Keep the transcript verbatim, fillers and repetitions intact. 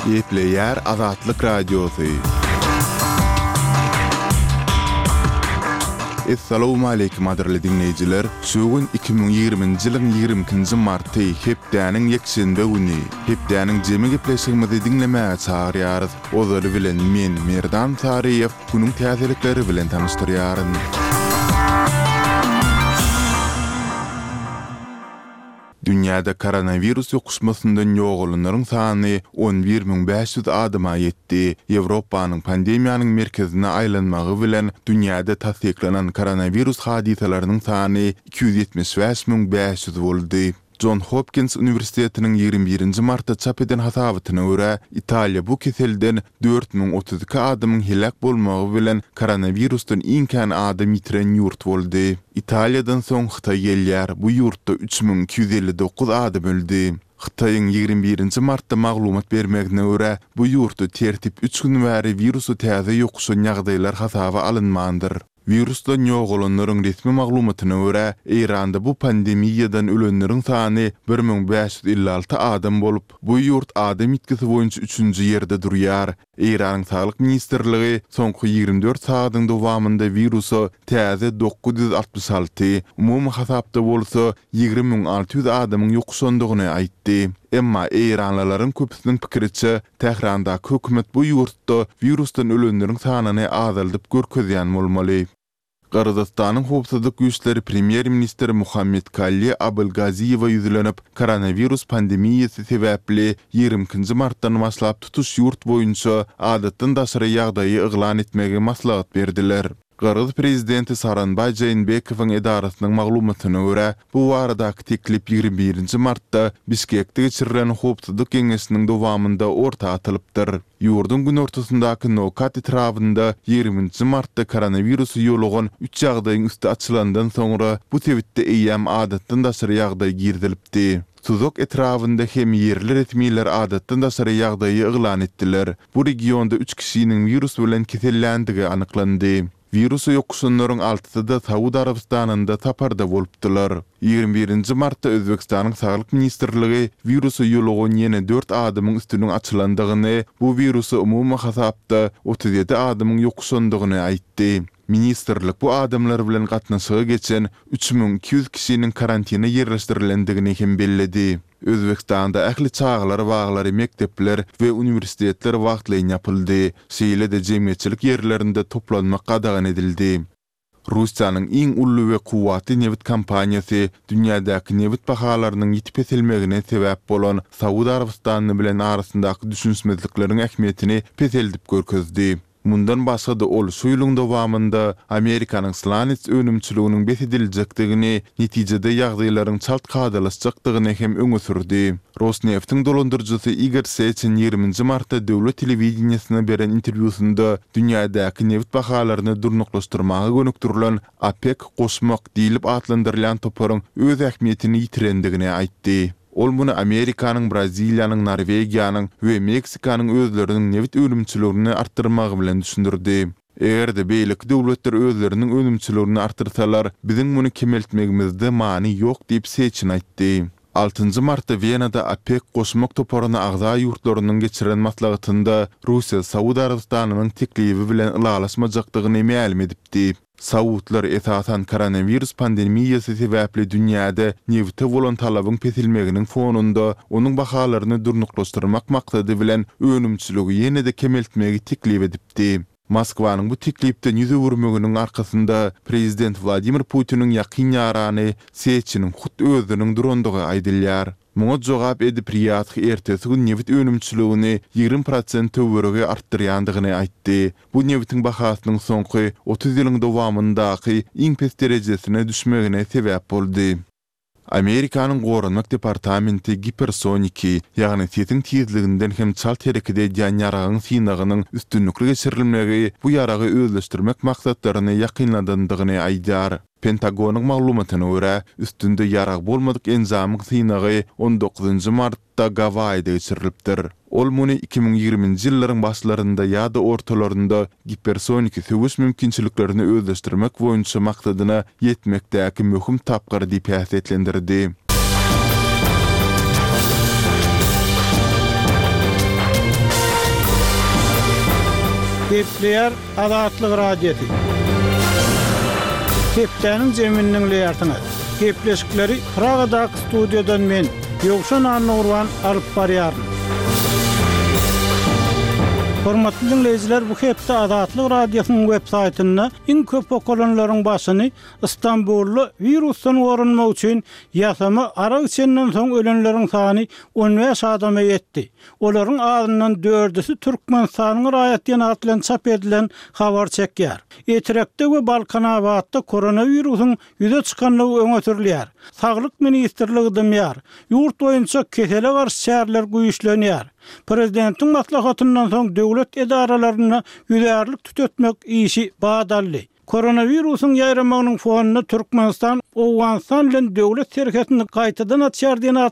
Gepleýär Azatlyk Radiosy. Essalawmaleýkim gadyrly diňleýjiler! Şu gün iki müň ýigriminji ýylyň ýigrimi ikinji marty, hepdäniň ýekşenbe güni. Hepdäniň jemi gepleşigimizi diňlemäge çagyrýarys. Ozaly bilen men, Merdan Saryýew, günüň täzelikleri bilen tanyşdyrýaryn. Dünýäde koronawirus ýokuşmasyndan ýogalanlaryň sany on bir müň bäş ýüz adama ýetdi. Ýewropanyň pandemiýanyň merkezine aýlanmagy bilen dünýäde tassyklanan koronawirus hadysalarynyň sany iki ýüz ýetmiş bäş müň bäş ýüz boldy. Jon Hopkins uniwersitetiniň ýigrimi birinji martda çap eden hasabatyna görä, Italiýa bu keselden dört müň otuz iki adamyň heläk bolmagy bilen koronawirusdan iň kän adam ýitiren ýurt boldy. Italiýadan soň Hytaý gelýär, bu ýurtda üç müň iki ýüz elli dokuz adam öldi. Hytaýyň ýigrimi birinji martda maglumat bermegine görä, bu ýurtda tertip üç gün bäri wirusa täze ýokuşan ýagdaýlar hasaba alynmandyr. Wirusdan ýogalanlaryň resmi maglumatyna görä, Eýranda bu pandemiýadan ölenleriň sany bir müň bäş ýüz elli alty adam bolup, bu ýurt adam ýitgisi boýunça üçünji ýerde durýar. Eýranyň Saglyk ministrligi soňky ýigrimi dört sagadyň dowamynda wirusa täze dokuz ýüz altmyş alty, umumy hasapda bolsa ýigrimi müň alty ýüz adamyň ýokuşandygyny aýtdy. Emma eýranlylaryň köpüsiniň pikiriçe, Tährandaky hökümet bu ýurtda wirusdan ölenleriň sanyny azaldyp görkezýän bolmaly. Gyrgyzystanyň howpsuzlyk güýçleri premýer-ministr Muhammetkalli Abylgaziýewe ýüzlenip, koronawirus pandemiýasy sebäpli ýigrimi ikinji martdan başlap tutuş ýurt boýunça adatdan daşary ýagdaýy yglan etmegi maslahat berdiler. Gyrgyz prezidenti Sooronbaý Žeenbekowyň edarasynyň maglumatyna görä, bu baradaky teklip ýigrimi birinji martda Bişkekde geçirilen Howpsuzlyk geňeşiniň dowamynda orta atylypdyr. Ýurduň günortasyndaky Nokat etrabynda ýigriminji martda koronawirusy ýolugan üç ýagdaýyň üsti açylandan soňra bu sebitde eýýäm adatdan daşary ýagdaý girizilipdi. Suzak etrabynda hem ýerli resmiler adatdan daşary ýagdaýy yglan etdiler. Bu regionda üç kişiniň wirus bilen keselländigi anyklandy. Wirusa ýokuşanlaryň altysy-da Saud Arabystanynda saparda bolupdylar. Ýigrimi birinji martda Özbegistanyň Saglyk ministrligi wirusa ýolugan ýene dört adamyň üstüniň açylandygyny, bu wirusa umumy hasapda otuz ýedi adamyň ýokuşandygyny aýtdy. Ministrlik bu adamlar bilen gatnaşyga geçen üç müň iki ýüz kişiniň karantine ýerleşdirilendigini hem belledi. Özbegistanda ähli çagalar baglary, mekdepler we uniwersitetler wagtlaýyn ýapyldy. Şeýle-de jemgyýetçilik ýerlerinde toplanmak gadagan edildi. Russiýanyň iň uly we kuwwatly nebit kompaniýasy dünýädäki nebit bahalarynyň ýiti peselmegine sebäp bolan Saud Arabystany bilen arasyndaky düşünişmezlikleriň ähmiýetini peseldip görkezdi. Mundan başga-da ol şu ýylyň dowamynda Amerikanyň slanets önümçiliginiň bes ediljekdigini, netijede ýagdaýlaryň çalt kadalaşjakdygyny hem öňe sürdi. Rosneftiň dolandyryjysy Igor Seçin ýigriminji martda döwlet telewideniýesine beren interwýusynda dünýädäki nebit bahalaryny durnuklaşdyrmaga gönükdirilen OPEK goşmak diýlip atlandyrylýan toparyň öz ähmiýetini ýitirendigini aýtdy. Ol muny Amerikanyň, Braziliýanyň, Norwegiýanyň we Meksikanyň özleriniň nebit önümçiligini artdyrmagy bilen düşündirdi. Eger-de beýleki döwletler özleriniň önümçiligini artdyrsalar, biziň muny kemeltmegimizde many ýok diýip Seçin aýtdy. Altynjy martda Wenada OPEK goşmak toparyna agza ýurtlarynyň geçiren maslahatynda Russiýa Saud Arabystanynyň teklibi bilen ylalaşmajakdygyny mälim edipdi. Saudlar esasan koronawirus pandemiýasy sebäpli dünýäde nebite bolan talabyň peselmeginiň fonunda onuň bahalaryny durnuklaşdyrmak maksady bilen önümçiligi ýene-de kemeltmegi teklip edipdi. Moskwanyň bu teklipden ýüz öwürmeginiň arkasynda prezident Wladimir Putiniň ýakyn ýarany Seçiniň hut özüniň durandygy aýdylýar. Muňa jogap edip Riýadh ertesi gün nebit önümçiligini ýigrimi prosent töweregi artdyrýandygyny aýtdy. Bu nebitiň bahasynyň soňky otuz ýylyň dowamyndaky iň pes derejesine düşmegine sebäp boldy. Amerikanyň Goranmak departamenti gipersoniki, ýagny sesiň tizliginden hem çalt hereket edýän ýaragyň synagynyň üstünlikli geçirilmegi bu ýaragy özleşdirmek maksatlaryny ýakynladandygyny aýdýar. Pentagonyň maglumatyna görä, üstünde ýarag bolmadyk enjamyň synagy on dokuzynjy martda Gawaýide geçirilipdir. Ol muny iki müň ýigriminji ýyllaryň başlarynda ýa-da ortalarynda gipersoniki söweş mümkinçiliklerini özleşdirmek boýunça maksadyna ýetmekdäki möhüm tapgyr diýip häsiýetlendirdi. Gepleýär Azatlyk Radiosy. Hepdäniň jemini diňleýärsiňiz. Gepleşikleri Pragadaky studiýadan men, Ýowşan Annagurban alyp barýaryn. Hormatly dinleýjiler, bu hepde Azatlyk Radiosynyň web saýtynda iň köp okalanlaryň başyny Istanbulda wirusdan goranmak üçin ýasama arak içenden soň ölenleriň sany on bäş adama ýetdi. Olaryň azyndan dördüsi Türkmenistanyň raýat diýen at bilen çap edilen habar çekýär. Etrekde we Balkanabatda koronawirusyň ýüze çykanlygy öňe sürülýär. Saglyk ministrligi dymýar. Ýurt boýunça kesele garşy çäreler güýçlenýär. Prezidentiň maslahatyndan soň döwlet edaralarynda ýüzärlik tütetmek işi badaldy. Koronawirusyň ýaýramagynyň fonunda Türkmenistan Owganystan bilen döwlet serhedini gaýtadan açýar diýen